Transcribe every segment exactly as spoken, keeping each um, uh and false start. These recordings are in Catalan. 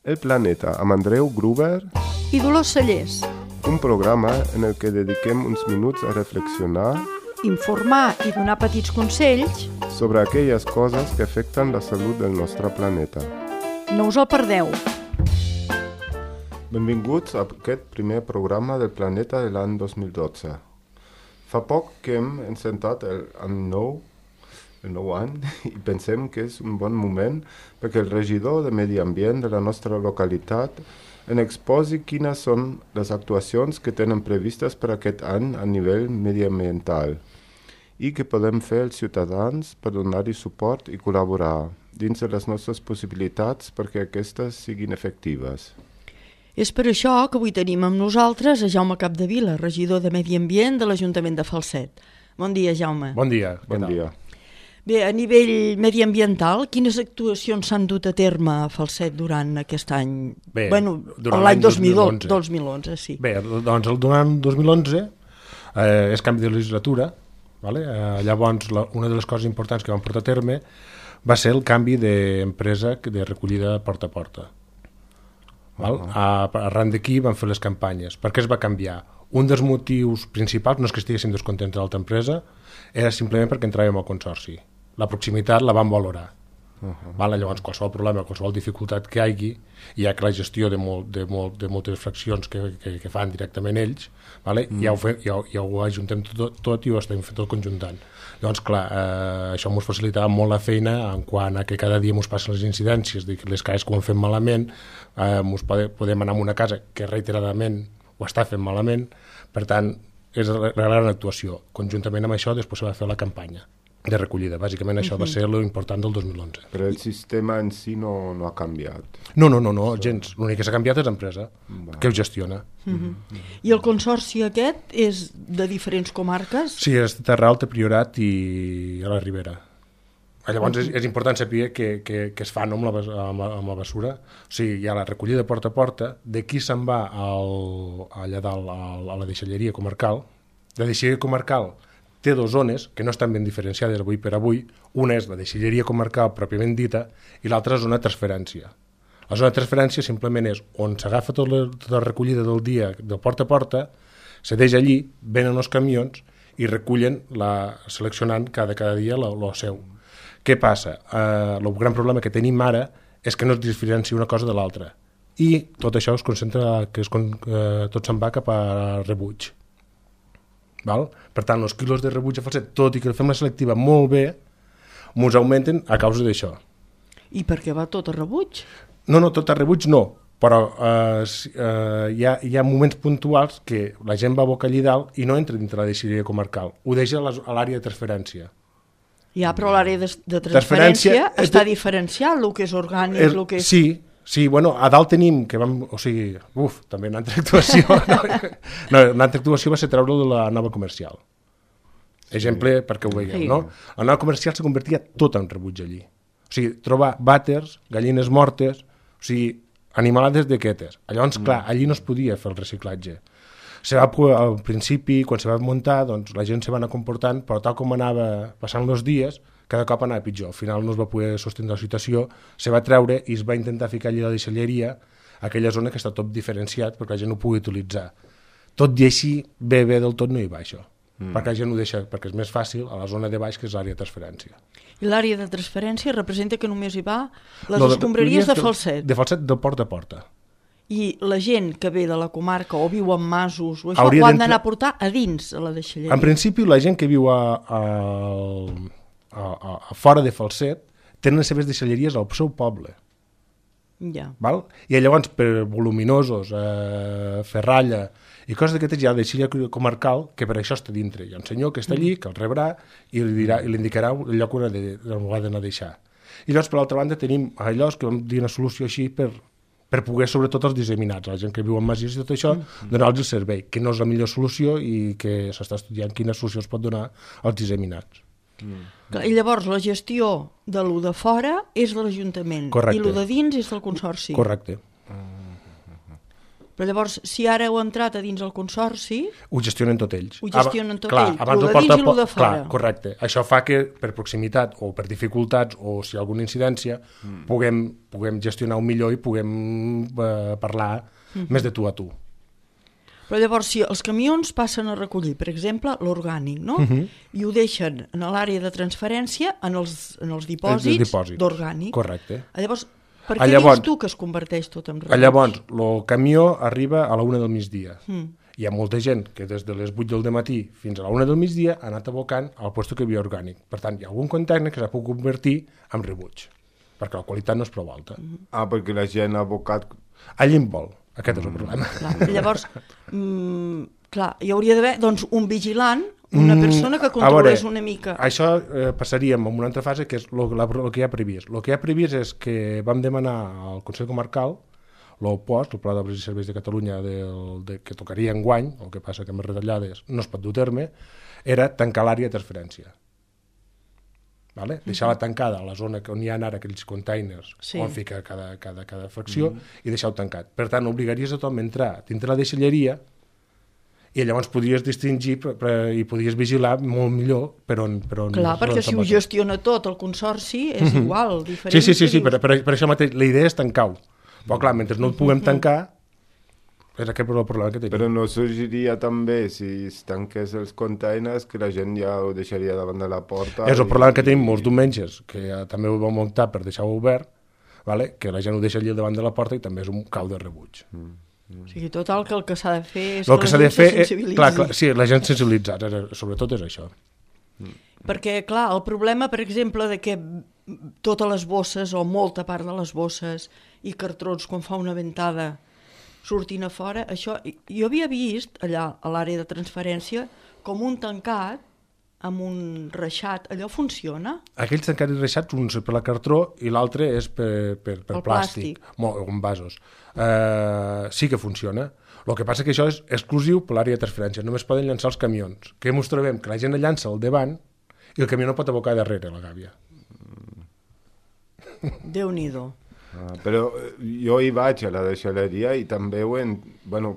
El Planeta, amb Andreu Gruber i Dolors Cellers. Un programa en el que dediquem uns minuts a reflexionar, informar i donar petits consells sobre aquelles coses que afecten la salut del nostre planeta. No us el perdeu. Benvinguts a aquest primer programa del Planeta de l'any dos mil dotze. Fa poc que hem encetat el, el nou el nou any i pensem que és un bon moment perquè el regidor de Medi Ambient de la nostra localitat en exposi quines són les actuacions que tenen previstes per aquest any a nivell mediambiental i que podem fer els ciutadans per donar-hi suport i col·laborar dins de les nostres possibilitats perquè aquestes siguin efectives. És per això que avui tenim amb nosaltres a Jaume Capdevila, regidor de Medi Ambient de l'Ajuntament de Falset. Bon dia, Jaume. Bon dia. Bon dia. Bé, a nivell mediambiental, quines actuacions s'han dut a terme a Falset durant aquest any? Bé, bueno, durant l'any l'any dos mil onze. dos mil onze. dos mil onze, sí. Bé, doncs el durant dos mil onze eh, és canvi de legislatura, vale? eh, llavors la, una de les coses importants que vam portar a terme va ser el canvi d'empresa de recollida porta a porta. Val? Uh -huh. a, arran d'aquí vam fer les campanyes. Per què es va canviar? Un dels motius principals no és que estiguéssim descontents de l'altra empresa, era simplement perquè entràvem al consorci. La proximitat la vam valorar. Uh -huh. Vale? Llavors qualsevol problema, qualsevol dificultat que hi hagi, ja que la gestió de, molt, de, molt, de moltes fraccions que, que, que fan directament ells, vale? mm. ja, ho fe, ja, ja ho ajuntem tot, tot i ho estem fent tot conjuntant. Llavors, clar, eh, això ens facilitava molt la feina en quant a que cada dia ens passen les incidències, de les cases que ho han fet malament, eh, ens pode, podem anar a una casa que reiteradament ho està fent malament, per tant, és la gran actuació. Conjuntament amb això, després se va fer la campanya de recollida. Bàsicament això uh -huh. va ser l'important del dos mil onze. Però el sistema en si no, no ha canviat. No, no, no, no gens. L'únic que s'ha canviat és l'empresa, Va. que ho gestiona. Uh -huh. I el consorci aquest és de diferents comarques? Sí, és de Terra Alta, Priorat i a la Ribera. Llavors és, és important saber que, que, que es fa no, amb, la, amb, la, amb la bessura. O sigui, hi ha la recollida porta a porta, d'aquí se'n va al, allà dalt a, a la deixalleria comarcal. La deixalleria comarcal té dues zones que no estan ben diferenciades avui per avui. Una és la deixalleria comarcal pròpiament dita i l'altra és zona de transferència. La zona de transferència simplement és on s'agafa tota la, tota la recollida del dia de porta a porta, se deixa allí, venen els camions i recullen, la, seleccionant cada, cada dia el seu. Què passa? Eh, el gran problema que tenim ara és que no es diferencia una cosa de l'altra i tot això es concentra, que es, eh, tot se'n va cap a rebuig. Val? Per tant, els quilos de rebuig a Falset, tot i que fem la selectiva molt bé, ens augmenten a causa d'això. I per què va tot a rebuig? No, no, tot a rebuig no, però eh, eh, hi, ha, hi ha moments puntuals que la gent va a boca allà dalt i no entra dintre la deixalleria comarcal, ho deixa a l'àrea de transferència. Ja, però l'àrea de, de transferència, transferència està de... diferenciat, el que és orgànic, el, el que és... Sí, sí, bueno, a dalt tenim, que vam, o sigui, uf, també una altra actuació, no, no, una altra actuació va ser treure de la nova comercial. Exemple, sí. perquè ho veieu, sí. no? La nova comercial se convertia tot en rebuig allí. O sigui, trobar vàters, gallines mortes, o sigui, animalades d'aquestes. Llavors, mm. clar, allí no es podia fer el reciclatge. Se va, al principi, quan se va muntar, doncs la gent se va anar comportant, però tal com anava passant els dies, cada cop anava pitjor. Al final no es va poder sostindre la situació, se va treure i es va intentar ficar allà a la deixalleria, aquella zona que està tot diferenciat perquè la gent ho pugui utilitzar. Tot i així, bé, bé del tot no hi va això, mm. perquè la gent ho deixa, perquè és més fàcil a la zona de baix, que és l'àrea de transferència. I l'àrea de transferència representa que només hi va les no, escombraries de, de Falset? De Falset, de porta a porta. I la gent que ve de la comarca o viu en masos o això, ho han d'anar a portar a dins a la deixalleria? En principi, la gent que viu a, a, a, a, a fora de Falset tenen les seves deixalleries al seu poble. Ja. Val? I llavors, per voluminosos, eh, ferralla i coses d'aquestes, hi ha la deixalleria comarcal que per això està dintre. Hi ha un senyor que està allí, que el rebrà i li, dirà, i li indicarà el lloc on ha d'anar a deixar. I llavors, per l'altra banda, tenim allò que vam dir una solució així per per poder, sobretot, els disseminats, la gent que viu en masies i tot això, mm. donar-los el servei, que no és la millor solució i que s'està estudiant quina solució es pot donar als disseminats. Mm. I llavors la gestió de lo de fora és de l'Ajuntament i lo de dins és del Consorci. Correcte. Però llavors, si ara heu entrat a dins el consorci... Ho gestionen tot ells. Ho gestionen tot clar, ells, abans el de porta, dins i el de fora. Clar, correcte. Això fa que per proximitat o per dificultats o si hi ha alguna incidència mm. puguem, puguem gestionar-ho millor i puguem eh, parlar mm-hmm. més de tu a tu. Però llavors, si els camions passen a recollir, per exemple, l'orgànic, no? Mm-hmm. I ho deixen en l'àrea de transferència en els, en els dipòsits, dipòsits d'orgànic. Correcte. Llavors, per què llavors, dius tu que es converteix tot en rebuig? Llavors, el camió arriba a la una del migdia. Mm. Hi ha molta gent que des de les vuit del dematí fins a la una del migdia ha anat abocant al lloc que hi havia orgànic. Per tant, hi ha algun container que s'ha pogut convertir en rebuig, perquè la qualitat no és prou alta. Mm. Ah, perquè la gent ha abocat... Allí en vol. Aquest és el problema. Clar, llavors, mm, clar, hi hauria d'haver doncs, un vigilant, una persona que controlés una mica. Això eh, passaríem a una altra fase, que és el que hi ha previst. El que hi ha previst és que vam demanar al Consell Comarcal l'O P O S, el Pla d'Obres i Serveis de Catalunya, del, de, que tocaria enguany, el que passa que amb les retallades no es pot dur terme, era tancar l'àrea de transferència. Vale? Deixar-la tancada a la zona on hi ha ara aquells containers sí. on fica cada, cada, cada fracció mm. i deixar-ho tancat. Per tant, obligaries a tothom a entrar dintre la deixalleria i llavors podries distingir i podries vigilar molt millor per on... Per on Clar, perquè si ho gestiona tot el consorci és mm-hmm. igual, diferent. Sí, sí, sí, sí per, per, per això mateix la idea és tancar-ho. Però clar, mentre no ho puguem tancar, és aquest el problema que tenim. Però no sorgiria també, si es tanqués els containers, que la gent ja ho deixaria davant de la porta... És el problema que tenim molts diumenges, que ja també ho vam optar per deixar-ho obert, vale? Que la gent ho deixa allà davant de la porta i també és un cau de rebuig. Mm. O sigui, total, que el que s'ha de fer és el que, que la gent se sensibilitzi. Clar, clar, sí, la gent sensibilitzar, sobretot és això. Mm. Perquè, clar, el problema, per exemple, de que totes les bosses, o molta part de les bosses i cartrons, quan fa una ventada, sortint a fora, això, jo havia vist allà a l'àrea de transferència com un tancat amb un reixat, allò funciona? Aquells tancats i reixats, un és per la cartró i l'altre és per, per, per plàstic, o en vasos. Uh, sí que funciona. El que passa que això és exclusiu per l'àrea de transferència, només poden llançar els camions. Què ens trobem? Que la gent llança al davant i el camió no pot abocar darrere la gàbia. Déu-n'hi-do. Ah, però jo hi vaig a la deixalleria i també ho en... Bueno,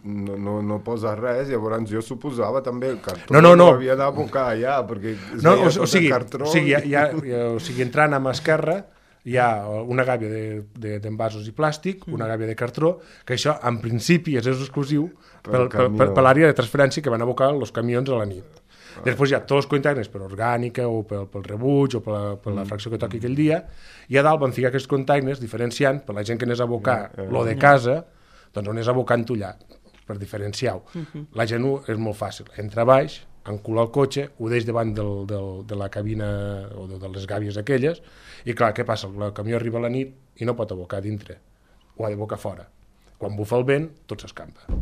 no, no, no posa res, llavors jo suposava també el cartró no, no, no. havia d'abocar allà, perquè es no, veia o, tot o sigui, el cartró. O sigui, hi ha, hi ha, o sigui, entrant a mà esquerra hi ha una gàbia d'envasos de, de, i plàstic, mm. una gàbia de cartró, que això en principi és exclusiu per, per, per, per l'àrea de transferència que van abocar els camions a la nit. Ah. Després hi ha tots els containers per orgànica o pel, pel rebuig o per la, per la fracció que toqui aquell dia, i a dalt van ficar aquests containers diferenciant per la gent que anés a abocar yeah, yeah. lo de casa, doncs on anés abocant-ho allà, per diferenciar-ho. Uh-huh. La gent ho és molt fàcil. Entra a baix, encula el cotxe, ho deix davant del, del, de la cabina o de, de les gàbies aquelles, i clar, què passa? El camió arriba a la nit i no pot abocar dintre. Ho ha d'abocar fora. Quan bufa el vent, tot s'escampa.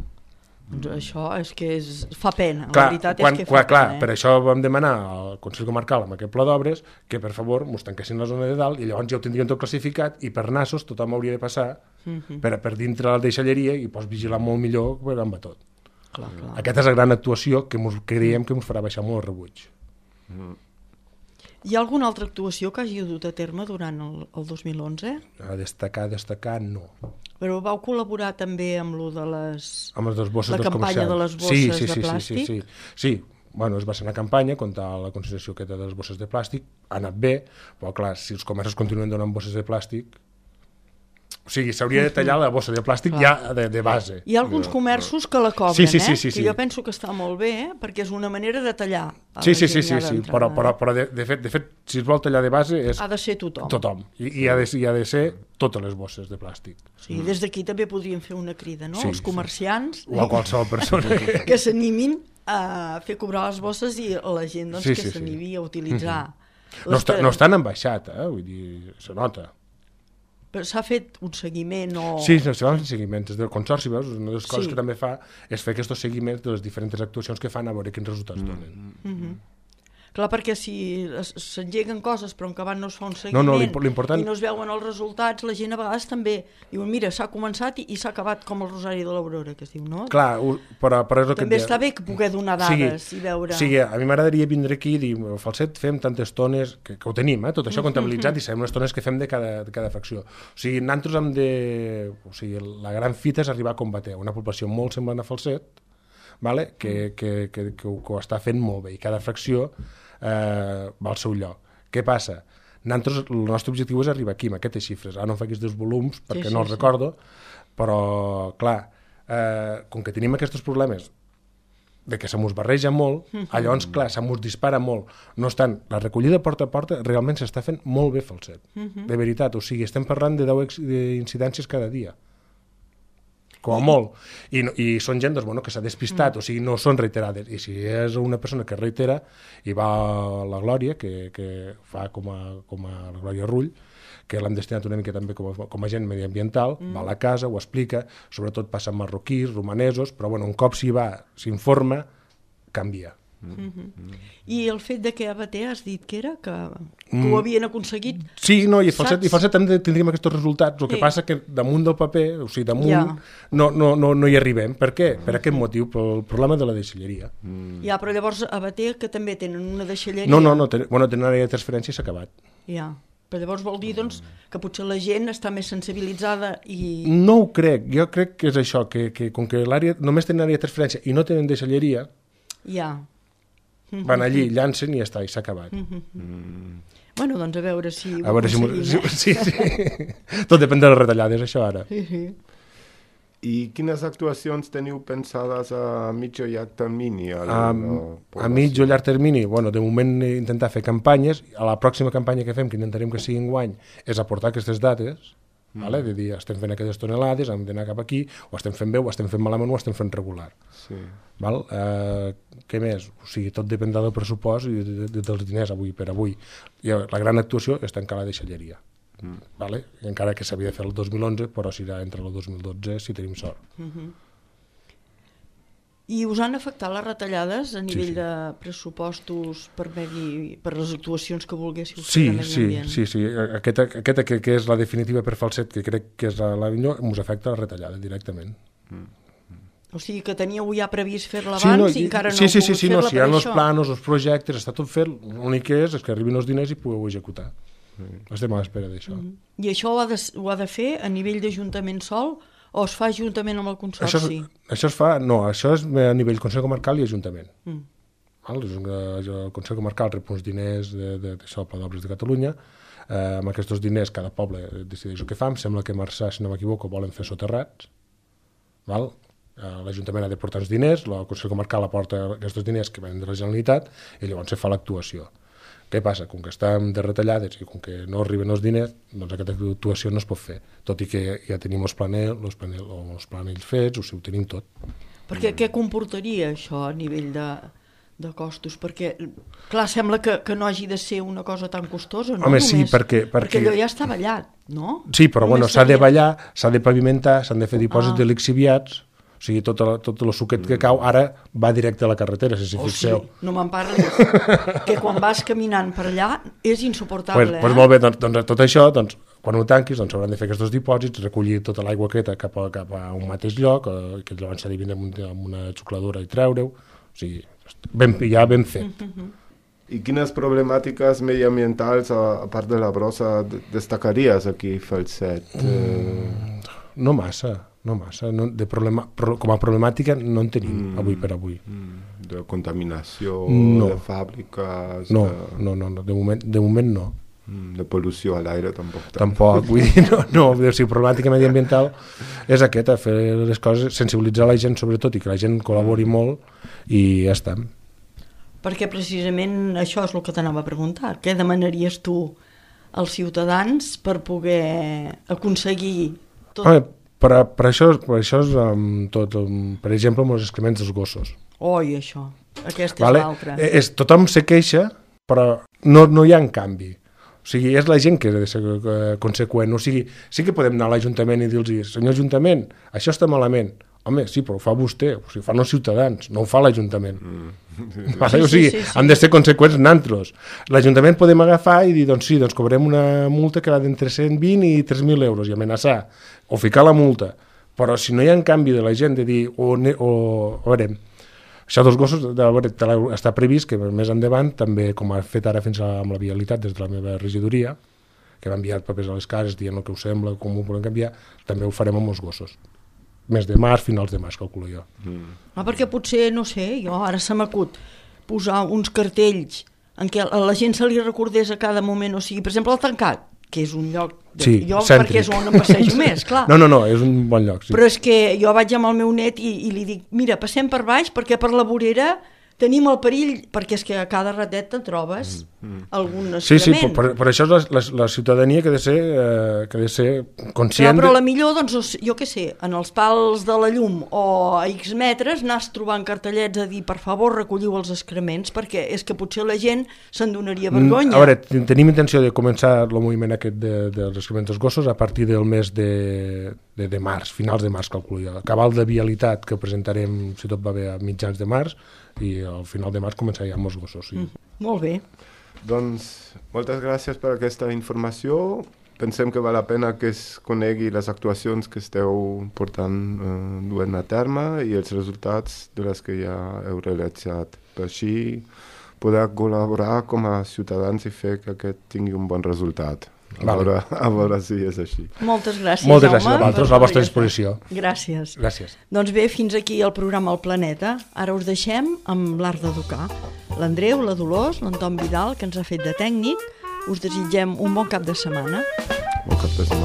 Doncs això és que és, fa pena, clar, la veritat quan, és que clar, fa clar, pena. Eh? Per això vam demanar al Consell Comarcal amb aquest pla d'obres que per favor mos tanquessin la zona de dalt i llavors ja ho tindrien tot classificat i per nassos tothom hauria de passar uh-huh. per, per dintre la deixalleria i pots vigilar molt millor per amb tot. Clar, clar. Aquesta és la gran actuació que mos, creiem que ens farà baixar molt el rebuig. Mm. Hi ha alguna altra actuació que hagi dut a terme durant el, el dos mil onze? A destacar, destacar, no. Però vau col·laborar també amb lo de les... Amb les bosses la dels campanya de les bosses sí, sí, sí, de plàstic? Sí, sí, sí. sí. Bueno, es va ser una campanya contra la concentració aquesta de les bosses de plàstic, ha anat bé, però clar, si els comerços continuen donant bosses de plàstic... O sigui, s'hauria de tallar la bossa de plàstic clar. ja de, de base. Hi ha alguns comerços que la cobren, sí, sí, sí, eh? sí, sí. Que jo penso que està molt bé, eh? Perquè és una manera de tallar. Sí, sí, sí, sí, sí. però, però, però de, de, fet, de fet, si es vol tallar de base... És ha de ser tothom. Tothom. I, i, ha de, i ha de ser totes les bosses de plàstic. Sí, mm. Des d'aquí també podríem fer una crida, no? Sí, els comerciants... Sí. O a qualsevol persona. que s'animin a fer cobrar les bosses i la gent doncs, sí, que sí, s'animi sí. a utilitzar. Mm-hmm. No, està, no estan en baixat, eh? Vull dir, se nota. Però s'ha fet un seguiment o... Sí, se van fent seguiments. Des del Consorci, veus? Una de les coses sí. que també fa és fer aquests seguiments de les diferents actuacions que fan a veure quins resultats mm. donen. Mm-hmm. Clar, perquè si es- s'engeguen coses però en acabat no es fa un No, seguiment no, l'impo- l'important- i no es veuen els resultats, la gent a vegades també diuen, mira, s'ha començat i, i s'ha acabat com el Rosari de l'Aurora, que es diu, no? Clar, ho- però, però és el que També et deia. està bé que poder donar dades i veure... O sigui, a mi m'agradaria vindre aquí i dir, el falset fem tantes tones, que, que ho tenim, eh, tot això comptabilitzat, i sabem les tones que fem de cada, de cada fracció. O sigui, nosaltres hem de... O sigui, la gran fita és arribar a combater una població molt semblant a falset, vale? que, que, que, que, ho, que ho està fent molt bé, i cada fracció eh, va al seu lloc. Què passa? Nosaltres, el nostre objectiu és arribar aquí, amb aquestes xifres. Ara no em faig dos volums, perquè Sí, no sí, els sí. recordo, però, clar, eh, com que tenim aquests problemes de que se mos barreja molt, llavors, clar, se mos dispara molt. No obstant, la recollida porta a porta realment s'està fent molt bé falset. De veritat, o sigui, estem parlant de deu ex- d'incidències cada dia. Com a molt. I, no- i són gent doncs, bueno, que s'ha despistat, o sigui, no són reiterades. I si és una persona que reitera i va a la Glòria, que, que fa com a, com a la Glòria Rull, que l'hem destinat una mica també com a, com a agent mediambiental, mm. va a la casa, ho explica, sobretot passen marroquís, romanesos, però bueno, un cop s'hi va, s'informa, canvia. I el fet de que a Bater has dit que era que, que ho havien aconseguit... Sí, no, i falset, Saps? i falset també tindríem aquests resultats. El que Sí. passa que damunt del paper, o sigui, damunt, Ja. no, no, no, no hi arribem. Per què? Per aquest motiu, pel problema de la deixalleria. Ja, però llavors a Bater, que també tenen una deixalleria... No, no, no, ten, bueno, tenen àrea de transferència i s'ha acabat. Ja, però llavors vol dir doncs, que potser la gent està més sensibilitzada i... No ho crec, jo crec que és això, que, que com que l'àrea només tenen àrea de transferència i no tenen deixalleria, Ja. van allí, llancen i ja està, i s'ha acabat. Bueno, doncs a veure si ho A veure si... m'ho- aconseguim, Sí, sí, sí. Tot depèn de les retallades, això ara. eh? Sí, sí. I quines actuacions teniu pensades a mig o llarg termini? A, A, la a mig o llarg termini, bueno, de moment intentar fer campanyes. A la pròxima campanya que fem, que intentarem que sigui enguany, és aportar aquestes dates, mm. vale? De dir, estem fent aquestes tonelades, hem d'anar cap aquí, ho estem fent bé, ho estem fent malament, ho estem fent regular. Sí. Val? Eh, què més? O sigui, tot dependrà del pressupost i de, de, dels diners avui per avui. I la gran actuació és tancar la deixalleria. Mm. Vale? I encara que s'havia de fer el dos mil onze, però serà entre el dos mil dotze si tenim sort. I us han afectat les retallades a nivell sí. de pressupostos per, medi, per les actuacions que volguéssiu fer Sí, de medi sí, ambient? sí, sí. Aquesta, aquesta que, que és la definitiva per falset, que crec que és la, la millor, ens afecta la retallada directament. O sigui que teníeu ja previst fer-la Sí, abans no, i encara no sí, heu sí, sí, pogut sí, no, fer-la si hi per ha els això. planos, els projectes, està tot fet, l'únic que és és que arribin els diners i pugueu executar. Estem a l'espera d'això. I això ho ha, de, ho ha de fer a nivell d'Ajuntament sol o es fa juntament amb el Això, Consorci? és, això es fa, no, això és a nivell Consell Comarcal i Ajuntament. Mm. Val? És un, el Consell Comarcal rep uns diners de, de, d'això, del Pla d'Obres de Catalunya, eh, amb aquests diners cada poble decideix el que fa, em sembla que a Marçà, si no m'equivoco, volen fer soterrats, val? Eh, l'Ajuntament ha de portar els diners, el Consell Comarcal aporta aquests diners que venen de la Generalitat i llavors se fa l'actuació. Què passa? Com que estem de retallades i com que no arriben els diners, doncs aquesta actuació no es pot fer, tot i que ja tenim els planells, els planells, els planells fets, o sigui, ho tenim tot. Perquè què comportaria això a nivell de, de costos? Perquè, clar, sembla que, que no hagi de ser una cosa tan costosa, no? Home, sí, Només, perquè- perquè- perquè allò ja està ballat, no? Sí, però bueno, Només s'ha de seria- ballar, s'ha de pavimentar, s'han de fer dipòsits Ah. de lixiviats, o sigui, tot, el, tot el suquet que cau ara va directe a la carretera, si s'hi Oh, sí, fixeu. no me'n parlis. Que quan vas caminant per allà és insuportable, Pues, eh? pues molt bé, doncs, doncs tot això, doncs, quan ho tanquis, doncs s'hauran de fer aquests dipòsits, recollir tota l'aigua aquesta cap a, cap a un mateix lloc, eh, que llavors s'ha de vindre amb, un- amb una xucladora i treure-ho, o sigui, ben, ja ben fet. I quines problemàtiques mediambientals, a, a part de la brossa, de- destacaries aquí, Falset? Eh, No massa, no massa. No, de problema, pro, com a problemàtica no en tenim, Mm. avui per avui. de contaminació, No. de fàbriques, No, de, no, no, no de, moment, de moment no. de pol·lució a l'aire, tampoc. tant. Tampoc, vull dir, no, no, o sigui, problemàtica mediambiental és aquesta, fer les coses, sensibilitzar la gent sobretot i que la gent col·labori molt i ja està. Perquè precisament això és el que t'anava a preguntar. Què demanaries tu als ciutadans per poder aconseguir tot? Home, per, a- per això, per això és um, tot, um, per exemple, amb els excrements dels gossos. Oi, això. Aquesta Vale? és l'altra. Eh, És, tothom se queixa, però no, no hi ha en canvi. O sigui, és la gent que ha de ser eh, conseqüent. O sigui, sí que podem anar a l'Ajuntament i dir-los, senyor Ajuntament, això està malament. Home, sí, però ho fa vostè, o sigui, ho fan els ciutadans, no ho fa l'Ajuntament. Mm. Vale? Sí, o sigui, sí, sí, sí. han de ser conseqüents nantros. L'Ajuntament podem agafar i dir, doncs sí, doncs cobrem una multa que va d'entre cent vint i tres mil euros i amenaçar, o ficar la multa. Però si no hi ha en canvi de la gent de dir, o, o a veure, això dels gossos de, a veure, està previst que més endavant, també com ha fet ara fins a, amb la vialitat des de la meva regidoria, que va enviar papers a les cases dient el que us sembla, com ho volem canviar, també ho farem amb els gossos. Mes de març, finals de març, calculo jo. Mm. Ah, perquè potser, no sé, jo ara se m'acut posar uns cartells en què a la gent se li recordés a cada moment, o sigui, per exemple, el Tancat, que és un lloc, de... sí, jo cèntric. Perquè és on em passejo més, clar. No, no, no, és un bon lloc. Sí. Però és que jo vaig amb el meu net i, i li dic, mira, passem per baix perquè per la vorera tenim el perill, perquè és que a cada ratet te'n trobes mm, mm. algun escrement. Sí, sí, per, per, per això és la, la, la ciutadania que ha de ser, eh, que ha de ser conscient... Però, però de... la millor, doncs, jo què sé, en els pals de la llum o a X metres anar trobant cartellets a dir, per favor, recolliu els excrements, perquè és que potser la gent se'n donaria vergonya. A veure, tenim intenció de començar el moviment aquest de, dels excrements dels gossos a partir del mes de, de, de març, finals de març, calculo jo. Cabal de vialitat que presentarem, si tot va bé, a mitjans de març, i al final de març començarem amb els gossos. Sí. Mm, molt bé. Doncs moltes gràcies per aquesta informació. Pensem que val la pena que es conegui les actuacions que esteu portant eh, duent a terme i els resultats de les que ja heu realitzat. Per així poder col·laborar com a ciutadans i fer que aquest tingui un bon resultat. A, vale. veure, a veure si és així. Moltes gràcies, Moltes Jaume. gràcies a vosaltres, a la vostra disposició. Gràcies. Gràcies. Doncs bé, fins aquí el programa El Planeta. Ara us deixem amb l'Art d'Educar. L'Andreu, la Dolors, l'Anton Vidal, que ens ha fet de tècnic. Us desitgem un bon cap de setmana. Bon cap de setmana.